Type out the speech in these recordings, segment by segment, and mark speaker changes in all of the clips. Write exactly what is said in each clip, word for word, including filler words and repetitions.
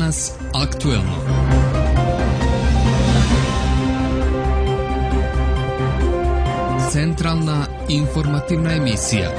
Speaker 1: Danas aktuelno. Centralna informativna emisija.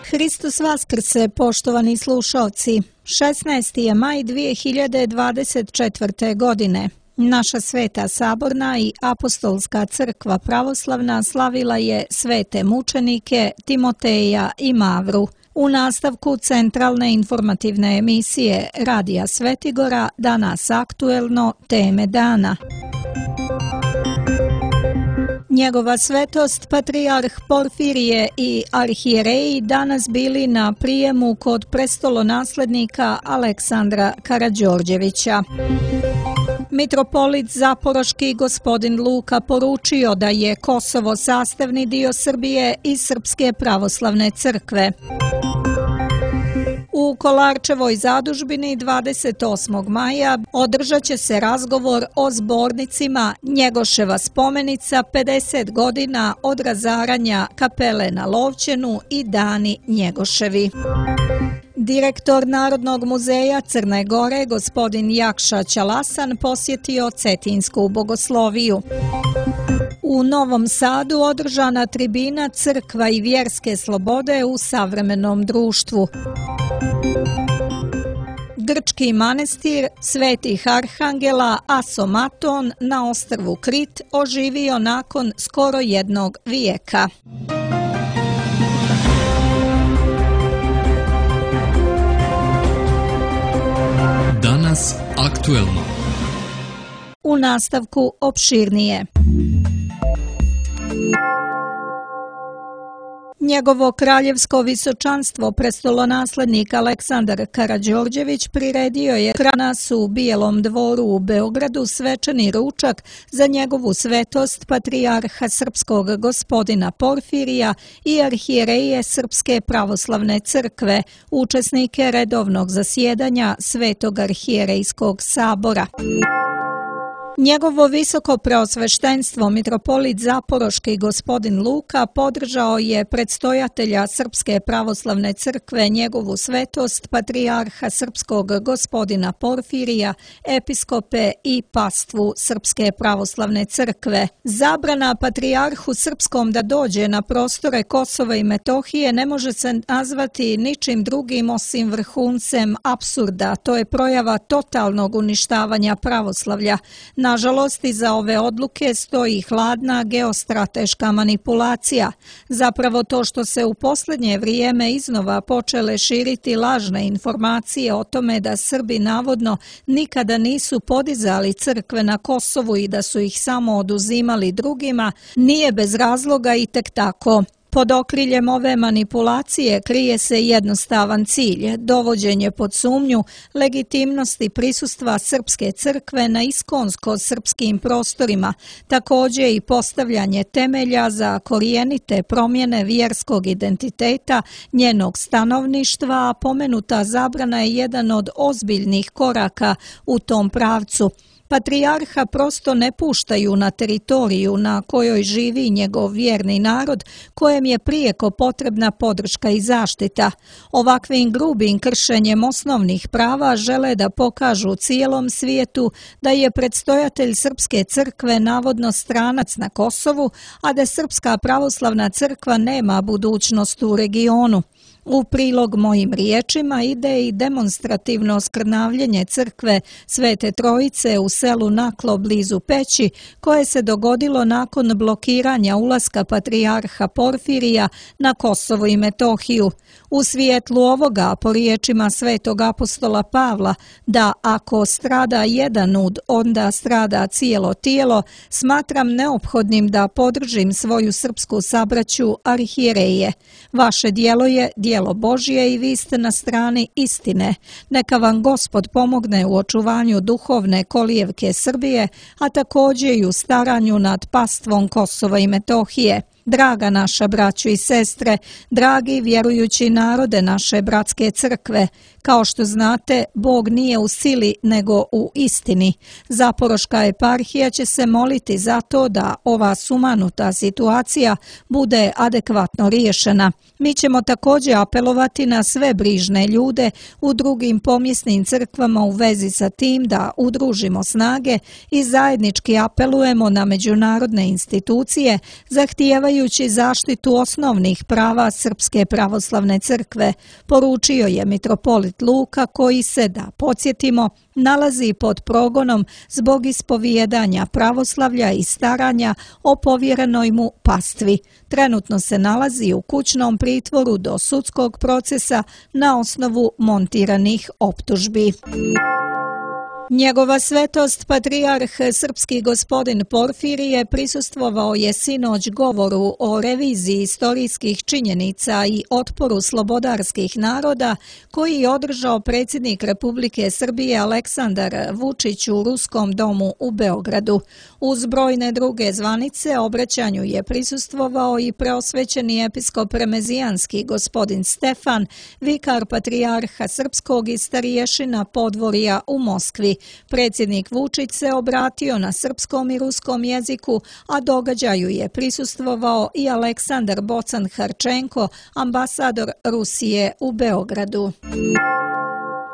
Speaker 2: Hristos Vaskrse, poštovani slušaoci. šesnaesti je maj dvije hiljade dvadeset četvrte. godine. Naša Sveta Saborna i Apostolska crkva pravoslavna slavila je svete mučenike Timoteja i Mavru. U nastavku centralne informativne emisije Radija Svetigora Danas aktuelno, teme dana. Njegova svetost, patrijarh Porfirije i arhijereji danas bili na prijemu kod prestolonaslednika Aleksandra Karađorđevića. Mitropolit Zaporoški gospodin Luka poručio da je Kosovo sastavni dio Srbije i Srpske pravoslavne crkve. U Kolarčevoj zadužbini dvadeset osmog maja održat će se razgovor o zbornicima Njegoševa spomenica pedeset godina od razaranja kapele na Lovćenu i dani Njegoševi. Direktor Narodnog muzeja Crne Gore, gospodin Jakša Ćalasan, posjetio Cetinsku bogosloviju. U Novom Sadu održana tribina Crkva i vjerske slobode u savremenom društvu. Grčki manastir Svetih Arhangela Asomaton na ostrvu Krit oživio nakon skoro jednog vijeka.
Speaker 1: Danas aktuelno.
Speaker 2: U nastavku opširnije. Njegovo kraljevsko visočanstvo prestolonaslednik Aleksandar Karađorđević priredio je danas u Bijelom dvoru u Beogradu svečani ručak za njegovu svetost patrijarha srpskog gospodina Porfirija i arhijereje Srpske pravoslavne crkve, učesnike redovnog zasjedanja Svetog arhijerejskog sabora. Njegovo visoko preosveštenstvo mitropolit Zaporoški gospodin Luka podržao je predstojatelja Srpske pravoslavne crkve, njegovu svetost patrijarha srpskog gospodina Porfirija, episkope i pastvu Srpske pravoslavne crkve. Zabrana patrijarhu srpskom da dođe na prostore Kosova i Metohije ne može se nazvati ničim drugim osim vrhuncem apsurda. To je projava totalnog uništavanja pravoslavlja. Nažalost, iza ove odluke stoji hladna geostrateška manipulacija. Zapravo to što se u posljednje vrijeme iznova počele širiti lažne informacije o tome da Srbi navodno nikada nisu podizali crkve na Kosovu i da su ih samo oduzimali drugima, nije bez razloga i tek tako. Pod okriljem ove manipulacije krije se jednostavan cilj, dovođenje pod sumnju legitimnosti prisustva Srpske crkve na iskonsko-srpskim prostorima, također i postavljanje temelja za korijenite promjene vjerskog identiteta, njenog stanovništva, a pomenuta zabrana je jedan od ozbiljnih koraka u tom pravcu. Patrijarha prosto ne puštaju na teritoriju na kojoj živi njegov vjerni narod, kojem je prijeko potrebna podrška i zaštita. Ovakvim grubim kršenjem osnovnih prava žele da pokažu cijelom svijetu da je predstojatelj Srpske crkve navodno stranac na Kosovu, a da Srpska pravoslavna crkva nema budućnost u regionu. U prilog mojim riječima ide i demonstrativno skrnavljenje crkve Svete Trojice u selu Naklo blizu Peći, koje se dogodilo nakon blokiranja ulaska patrijarha Porfirija na Kosovo i Metohiju. U svijetlu ovoga, po riječima svetog apostola Pavla, da ako strada jedan ud, onda strada cijelo tijelo, smatram neophodnim da podržim svoju srpsku sabraću arhijereje. Vaše djelo je djelo Božje i vi ste na strani istine. Neka vam Gospod pomogne u očuvanju duhovne kolijevke Srbije, a također i u staranju nad pastvom Kosova i Metohije. Draga naša braćo i sestre, dragi vjerujući narode naše bratske crkve, kao što znate, Bog nije u sili nego u istini. Zaporoška eparhija će se moliti za to da ova sumanuta situacija bude adekvatno riješena. Mi ćemo također apelovati na sve brižne ljude u drugim pomjesnim crkvama u vezi sa tim da udružimo snage i zajednički apelujemo na međunarodne institucije zahtijevajući zaštitu osnovnih prava Srpske pravoslavne crkve, poručio je mitropolit Luka koji se, da podsjetimo, nalazi pod progonom zbog ispovijedanja pravoslavlja i staranja o povjerenoj mu pastvi. Trenutno se nalazi u kućnom pritvoru do sudskog procesa na osnovu montiranih optužbi. Njegova svetost, patrijarh srpski gospodin Porfirije, prisustvovao je sinoć govoru o reviziji istorijskih činjenica i otporu slobodarskih naroda koji je održao predsjednik Republike Srbije Aleksandar Vučić u Ruskom domu u Beogradu. Uz brojne druge zvanice obraćanju je prisustvovao i preosvećeni episkop remezijanski gospodin Stefan, vikar patrijarha srpskog i stariješina podvorja u Moskvi. Predsjednik Vučić se obratio na srpskom i ruskom jeziku, a događaju je prisustvovao i Aleksandar Bocan-Harčenko, ambasador Rusije u Beogradu.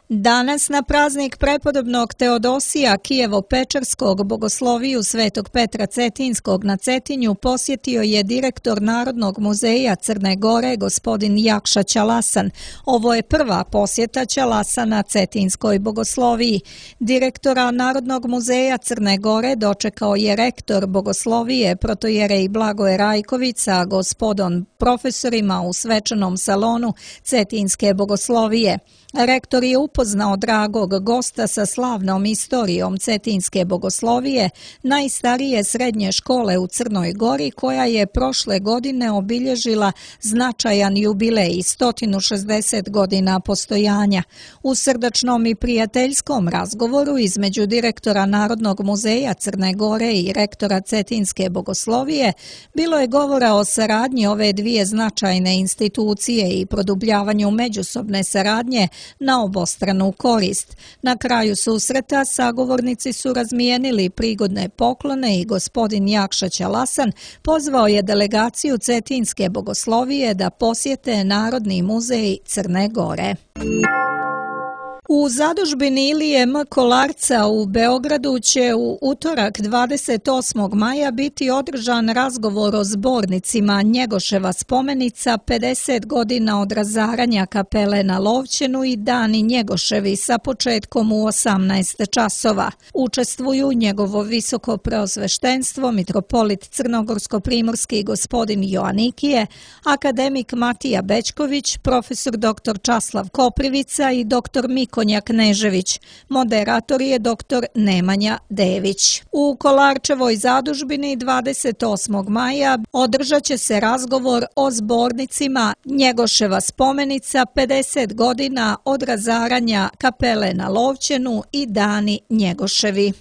Speaker 2: Danas na praznik prepodobnog Teodosija Kijevo-Pečarskog bogosloviju Svetog Petra Cetinskog na Cetinju posjetio je direktor Narodnog muzeja Crne Gore gospodin Jakša Ćalasan. Ovo je prva posjeta Ćalasana Cetinskoj bogosloviji. Direktora Narodnog muzeja Crne Gore dočekao je rektor bogoslovije protojerej Blagoje Rajković sa gospodom profesorima u svečanom salonu Cetinske bogoslovije. Rektor je upoznao dragog gosta sa slavnom istorijom Cetinske bogoslovije, najstarije srednje škole u Crnoj Gori, koja je prošle godine obilježila značajan jubilej, sto šezdeset godina postojanja. U srdačnom i prijateljskom razgovoru između direktora Narodnog muzeja Crne Gore i rektora Cetinske bogoslovije bilo je govora o saradnji ove dvije značajne institucije i produbljavanju međusobne saradnje na obostranu korist. Na kraju susreta sagovornici su razmijenili prigodne poklone i gospodin Jakša Ćalasan pozvao je delegaciju Cetinske bogoslovije da posjete Narodni muzej Crne Gore. U zadužbini Ilije M. Kolarca u Beogradu će u utorak dvadeset osmog maja biti održan razgovor o zbornicima Njegoševa spomenica pedeset godina od razaranja kapele na Lovćenu i Dani Njegoševi sa početkom u osamnaest časova. Učestvuju njegovo visoko preosveštenstvo, mitropolit Crnogorsko-primorski gospodin Joanikije, akademik Matija Bećković, profesor doktor Časlav Koprivica i doktor Miko Knežević. Moderator je doktor Nemanja Dević. U Kolarčevoj zadužbini dvadeset osmog maja održat će se razgovor o zbornicima Njegoševa spomenica pedeset godina od razaranja kapele na Lovćenu i Dani Njegoševi.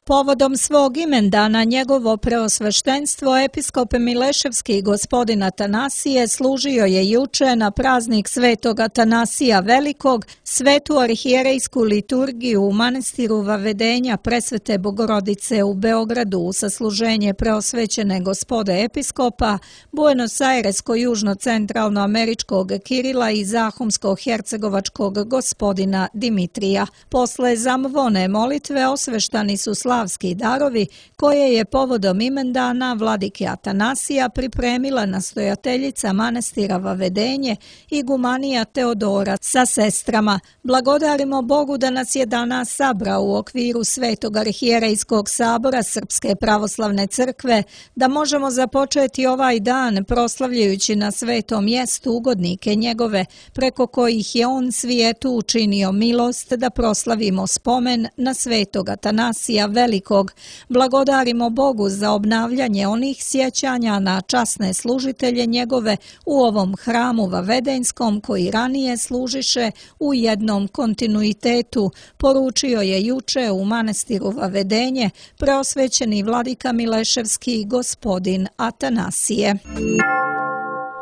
Speaker 2: Povodom svog imendana njegovo preosveštenstvo episkop Mileševski gospodin Atanasije služio je juče na praznik Svetog Atanasija Velikog svetu arhijerejsku liturgiju u manastiru Vavedenja Presvete Bogorodice u Beogradu u sasluženje preosvećene gospode episkopa, Buenos-Airesko-južno-centralno-američkog Kirila i Zahumsko-hercegovačkog gospodina Dimitrija. Posle zamvone molitve osveštani su slavski darovi koje je povodom imendana vladike Atanasija pripremila nastojateljica manastira Vavedenje igumanija Teodora sa sestrama. Blagodarimo Bogu da nas je danas sabrao u okviru Svetog arhijerejskog sabora Srpske pravoslavne crkve, da možemo započeti ovaj dan proslavljajući na svetom mjestu ugodnike njegove, preko kojih je on svijetu učinio milost da proslavimo spomen na Svetog Atanasija Velikog, Velikog. Blagodarimo Bogu za obnavljanje onih sjećanja na časne služitelje njegove u ovom hramu vavedenskom koji ranije služiše u jednom kontinuitetu, poručio je juče u manastiru Vavedenje preosvećeni vladika Mileševski gospodin Atanasije.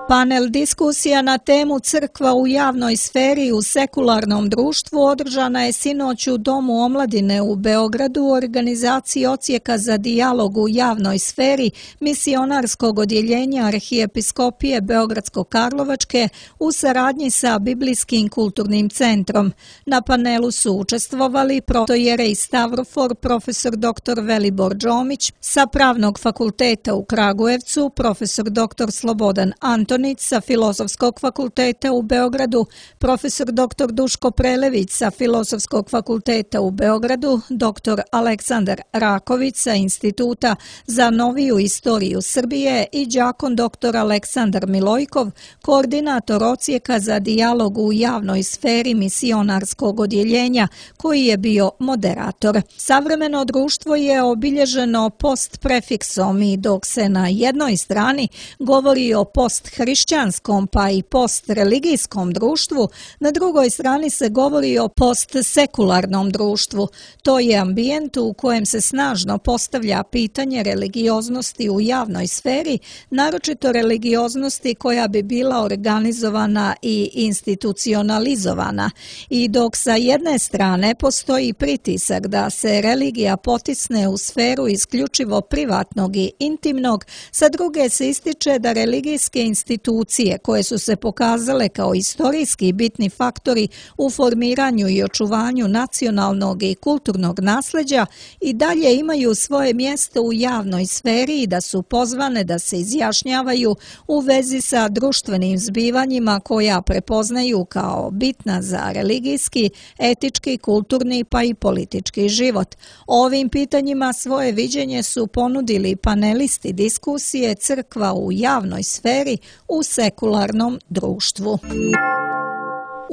Speaker 2: Panel diskusija na temu Crkva u javnoj sferi u sekularnom društvu održana je sinoć u Domu omladine u Beogradu u organizaciji Odsjeka za dijalog u javnoj sferi misionarskog odjeljenja Arhijepiskopije Beogradsko-Karlovačke u saradnji sa Biblijskim kulturnim centrom. Na panelu su učestvovali protojerej Stavrofor profesor doktor Velibor Džomić sa Pravnog fakulteta u Kragujevcu, profesor doktor Slobodan Antonić sa Filozofskog fakulteta u Beogradu, profesor doktor Duško Prelević sa Filozofskog fakulteta u Beogradu, doktor Aleksandar Raković sa Instituta za noviju istoriju Srbije i đakon doktor Aleksandar Milojkov, koordinator Odsjeka za dijalog u javnoj sferi misionarskog odjeljenja, koji je bio moderator. Savremeno društvo je obilježeno post-prefiksom i dok se na jednoj strani govori o post-hrišćanskom pa i post-religijskom društvu, na drugoj strani se govori o post-sekularnom društvu. To je ambijent u kojem se snažno postavlja pitanje religioznosti u javnoj sferi, naročito religioznosti koja bi bila organizovana i institucionalizovana. I dok sa jedne strane postoji pritisak da se religija potisne u sferu isključivo privatnog i intimnog, sa druge se ističe da religijske institucije koje su se pokazale kao istorijski bitni faktori u formiranju i očuvanju nacionalnog i kulturnog nasleđa i dalje imaju svoje mjesto u javnoj sferi i da su pozvane da se izjašnjavaju u vezi sa društvenim zbivanjima koja prepoznaju kao bitna za religijski, etički, kulturni pa i politički život. O ovim pitanjima svoje viđenje su ponudili panelisti diskusije Crkva u javnoj sferi u sekularnom društvu.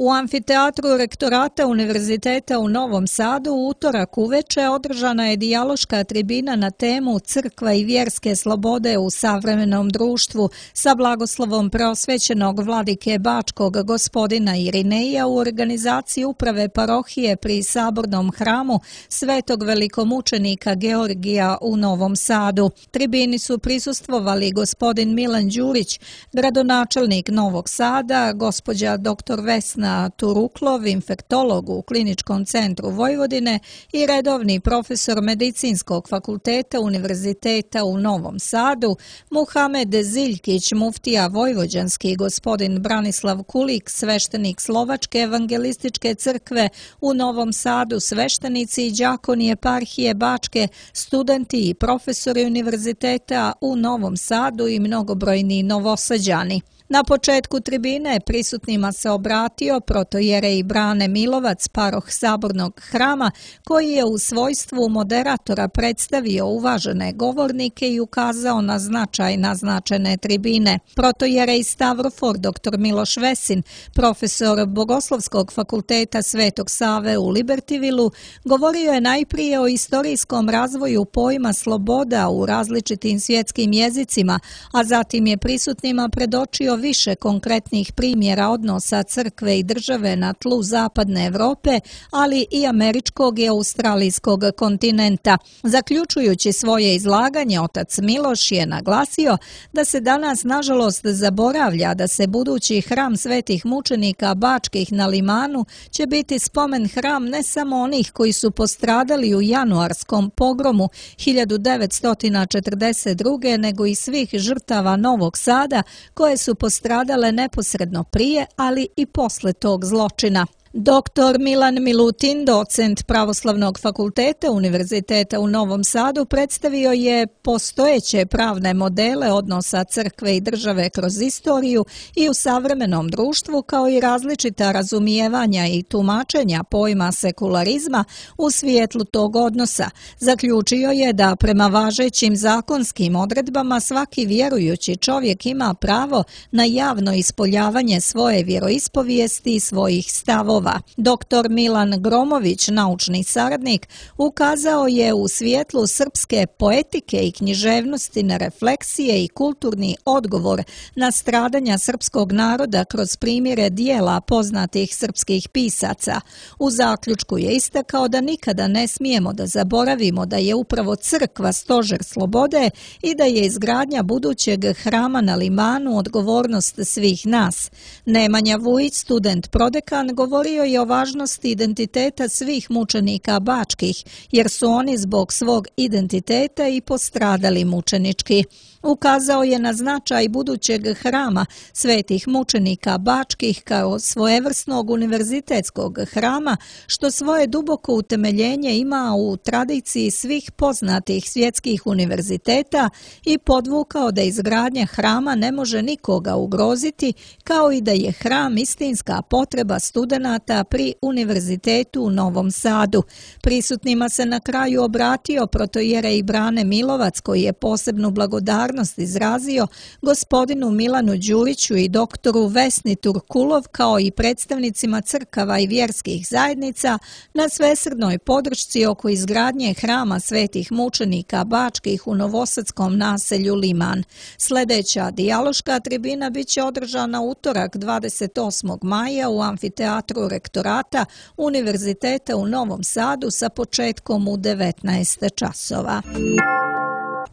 Speaker 2: U amfiteatru rektorata Univerziteta u Novom Sadu u utorak uveče održana je dijaloška tribina na temu Crkva i vjerske slobode u savremenom društvu sa blagoslovom preosvećenog vladike Bačkog gospodina Irineja u organizaciji uprave parohije pri Sabornom hramu Svetog velikomučenika Georgija u Novom Sadu. Tribini su prisustvovali gospodin Milan Đurić, gradonačelnik Novog Sada, gospođa doktor Vesna Turuklov, infektolog u Kliničkom centru Vojvodine i redovni profesor Medicinskog fakulteta Univerziteta u Novom Sadu, Muhamed Ziljkić, muftija vojvođanski, gospodin Branislav Kulik, sveštenik Slovačke evangelističke crkve u Novom Sadu, sveštenici i đakoni eparhije Bačke, studenti i profesori univerziteta u Novom Sadu i mnogobrojni Novosađani. Na početku tribine prisutnima se obratio protojerej Brane Milovac, paroh Sabornog hrama, koji je u svojstvu moderatora predstavio uvažene govornike i ukazao na značaj naznačene tribine. Protojerej Stavrofor doktor Miloš Vesin, profesor Bogoslovskog fakulteta Svetog Save u Libertivilu, govorio je najprije o istorijskom razvoju pojma sloboda u različitim svjetskim jezicima, a zatim je prisutnima predočio više konkretnih primjera odnosa crkve i države na tlu zapadne Evrope, ali i američkog i australijskog kontinenta. Zaključujući svoje izlaganje, otac Miloš je naglasio da se danas nažalost zaboravlja da se budući hram svetih mučenika Bačkih na Limanu će biti spomen hram ne samo onih koji su postradali u januarskom pogromu hiljadu devetsto četrdeset druge nego i svih žrtava Novog Sada koje su postradale neposredno prije, ali i posle tog zločina. Doktor Milan Milutin, docent Pravoslavnog fakulteta Univerziteta u Novom Sadu, predstavio je postojeće pravne modele odnosa crkve i države kroz istoriju i u savremenom društvu, kao i različita razumijevanja i tumačenja pojma sekularizma u svijetlu tog odnosa. Zaključio je da prema važećim zakonskim odredbama svaki vjerujući čovjek ima pravo na javno ispoljavanje svoje vjeroispovijesti i svojih stavova. stihova. Doktor Milan Gromović, naučni saradnik, ukazao je u svjetlu srpske poetike i književnosti na refleksije i kulturni odgovor na stradanja srpskog naroda kroz primjere dijela poznatih srpskih pisaca. U zaključku je istakao da nikada ne smijemo da zaboravimo da je upravo crkva stožer slobode i da je izgradnja budućeg hrama na Limanu odgovornost svih nas. Nemanja Vujić, student prodekan, govorio je o važnosti identiteta svih mučenika bačkih, jer su oni zbog svog identiteta i postradali mučenički. Ukazao je na značaj budućeg hrama svetih mučenika bačkih kao svojevrsnog univerzitetskog hrama, što svoje duboko utemeljenje ima u tradiciji svih poznatih svjetskih univerziteta i podvukao da izgradnja hrama ne može nikoga ugroziti, kao i da je hram istinska potreba studenata pri Univerzitetu u Novom Sadu. Prisutnima se na kraju obratio protojerej Brane Milovac, koji je posebnu blagodarnost izrazio gospodinu Milanu Đuriću i doktoru Vesni Turkulov, kao i predstavnicima crkava i vjerskih zajednica na svesrdnoj podršci oko izgradnje hrama svetih mučenika bačkih u novosadskom naselju Liman. Sljedeća dijaloška tribina biće održana utorak dvadeset osmog maja u amfiteatru rektorata Univerziteta u Novom Sadu sa početkom u devetnaest časova.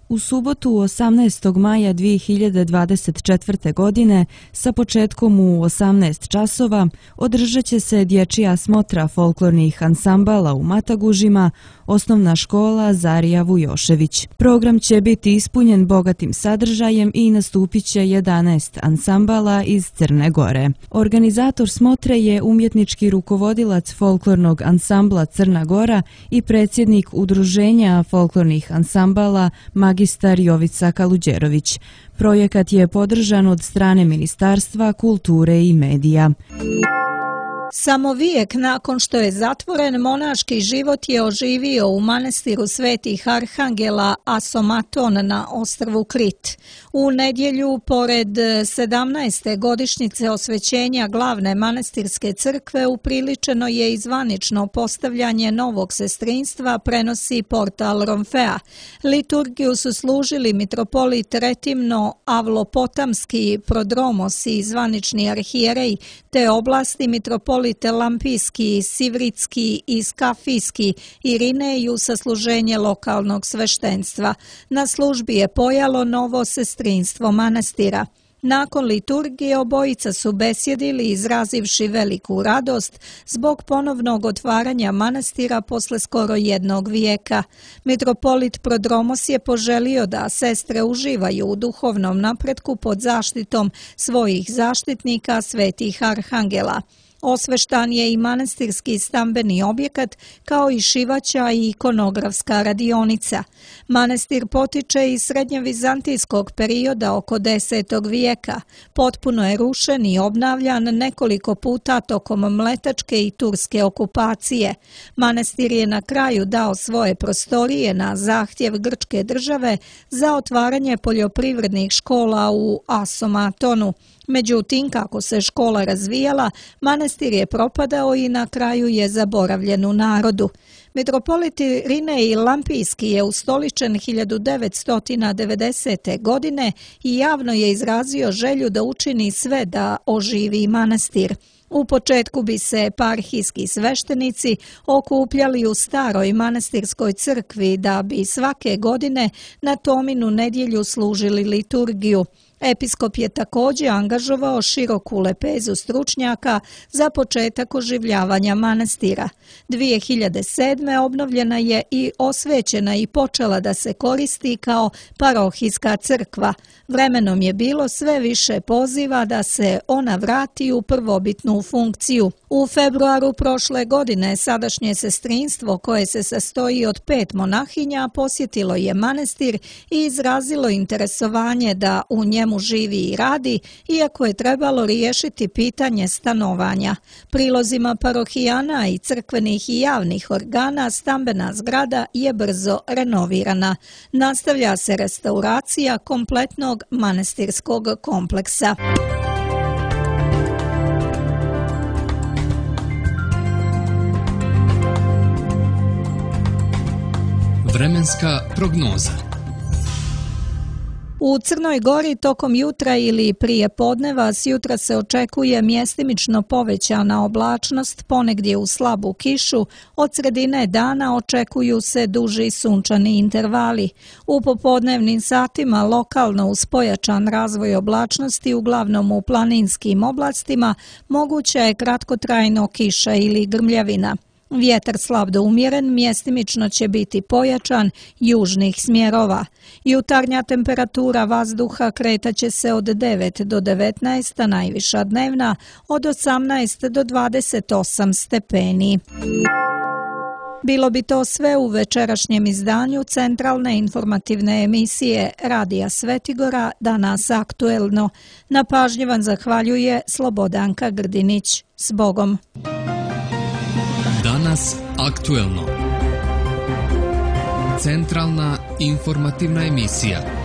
Speaker 3: U subotu osamnaestog maja dvije hiljade dvadeset četvrte. godine sa početkom u osamnaest časova održat će se dječja smotra folklornih ansambala u Matagužima, osnovna škola Zarija Vujošević. Program će biti ispunjen bogatim sadržajem i nastupit će jedanaest ansambala iz Crne Gore. Organizator smotre je umjetnički rukovodilac folklornog ansambla Crna Gora i predsjednik Udruženja folklornih ansambala magistar Jovica Kaluđerović. Projekat je podržan od strane Ministarstva kulture i medija.
Speaker 2: Samo vijek nakon što je zatvoren, monaški život je oživio u manastiru Svetih Arhangela Asomaton na ostrvu Krit. U nedjelju, pored sedamnaeste godišnjice osvećenja glavne manastirske crkve, upriličeno je i zvanično postavljanje novog sestrinstva, prenosi portal Romfea. Liturgiju su služili mitropolit Retimno Avlopotamski Prodromos i zvanični arhijerej, te oblasti mitropolit Lampijski, Sivritski i Skafijski Irineju sa služenje lokalnog sveštenstva. Na službi je pojalo novo sestrinstvo manastira. Nakon liturgije obojica su besjedili izrazivši veliku radost zbog ponovnog otvaranja manastira posle skoro jednog vijeka. Mitropolit Prodromos je poželio da sestre uživaju u duhovnom napretku pod zaštitom svojih zaštitnika Svetih Arhangela. Osveštan je i manastirski stambeni objekat, kao i šivaća i ikonografska radionica. Manastir potiče iz srednjevizantijskog perioda oko desetog vijeka. Potpuno je rušen i obnavljan nekoliko puta tokom mletačke i turske okupacije. Manastir je na kraju dao svoje prostorije na zahtjev grčke države za otvaranje poljoprivrednih škola u Asomatonu. Međutim, kako se škola razvijala, manastir je propadao i na kraju je zaboravljen u narodu. Mitropolit Irinej Lampijski je ustoličen hiljadu devetsto devedesete. godine i javno je izrazio želju da učini sve da oživi manastir. U početku bi se eparhijski sveštenici okupljali u staroj manastirskoj crkvi da bi svake godine na Tominu nedjelju služili liturgiju. Episkop je također angažovao široku lepezu stručnjaka za početak oživljavanja manastira. dvije hiljade sedme. obnovljena je i osvećena i počela da se koristi kao parohijska crkva. Vremenom je bilo sve više poziva da se ona vrati u prvobitnu funkciju. U februaru prošle godine sadašnje sestrinstvo, koje se sastoji od pet monahinja, posjetilo je manastir i izrazilo interesovanje da u njemu živi i radi, iako je trebalo riješiti pitanje stanovanja. Prilozima parohijana i crkvenih i javnih organa stambena zgrada je brzo renovirana. Nastavlja se restauracija kompletnog manastirskog kompleksa.
Speaker 1: Vremenska prognoza.
Speaker 2: U Crnoj Gori tokom jutra ili prije podneva s jutra se očekuje mjestimično povećana oblačnost, ponegdje u slabu kišu, od sredine dana očekuju se duži sunčani intervali. U popodnevnim satima lokalno uz pojačan razvoj oblačnosti, uglavnom u planinskim oblastima, moguća je kratkotrajno kiša ili grmljavina. Vjetar slab do umjeren, mjestimično će biti pojačan južnih smjerova. Jutarnja temperatura vazduha kretaće se od devet do devetnaest, a najviša dnevna od osamnaest do dvadeset osam stepeni. Bilo bi to sve u večerašnjem izdanju centralne informativne emisije Radija Svetigora, Danas aktuelno. Na pažnji vam zahvaljuje Slobodanka Grdinić. S Bogom!
Speaker 1: Danas aktuelno. Centralna informativna emisija.